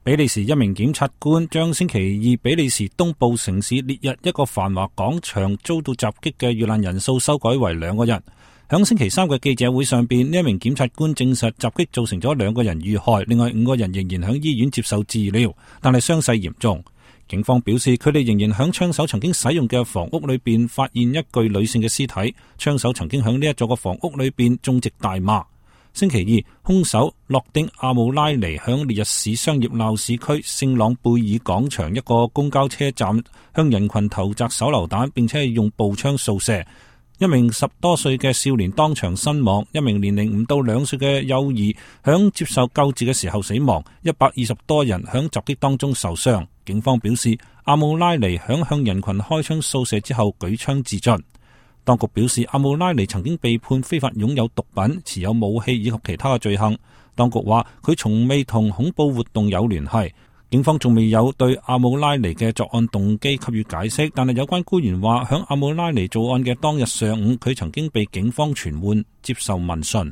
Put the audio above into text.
比利時一名檢察官將星期二比利時東部城市列日一個繁華廣場遭到襲擊嘅遇難人數修改為2個人。響星期三嘅記者會上邊，呢一名檢察官證實襲擊造成咗2個人遇害，另外5個人仍然響醫院接受治療，但係傷勢嚴重。警方表示，佢哋仍然響槍手曾經使用嘅房屋裏邊發現一具女性嘅屍體，槍手曾經響呢一座嘅房屋裏邊種植大麻。星期二，兇手諾丁阿姆拉尼響烈日市商業鬧市區聖朗貝爾廣場一個公交車站向人群投擲手榴彈，並且係用步槍掃射。一名10多歲嘅少年當場身亡，一名年齡5到2歲嘅幼兒響接受救治嘅時候死亡，120多人響襲擊當中受傷。警方表示，阿姆拉尼響向人群開槍掃射之後舉槍自盡。當局表示，阿姆拉尼曾經被判非法擁有毒品、持有武器以及其他嘅罪行。當局話佢從未同恐怖活動有聯繫。警方仲未有對阿姆拉尼嘅作案動機給予解釋，但係有關官員話，響阿姆拉尼作案嘅當日上午，佢曾經被警方傳喚接受問訊。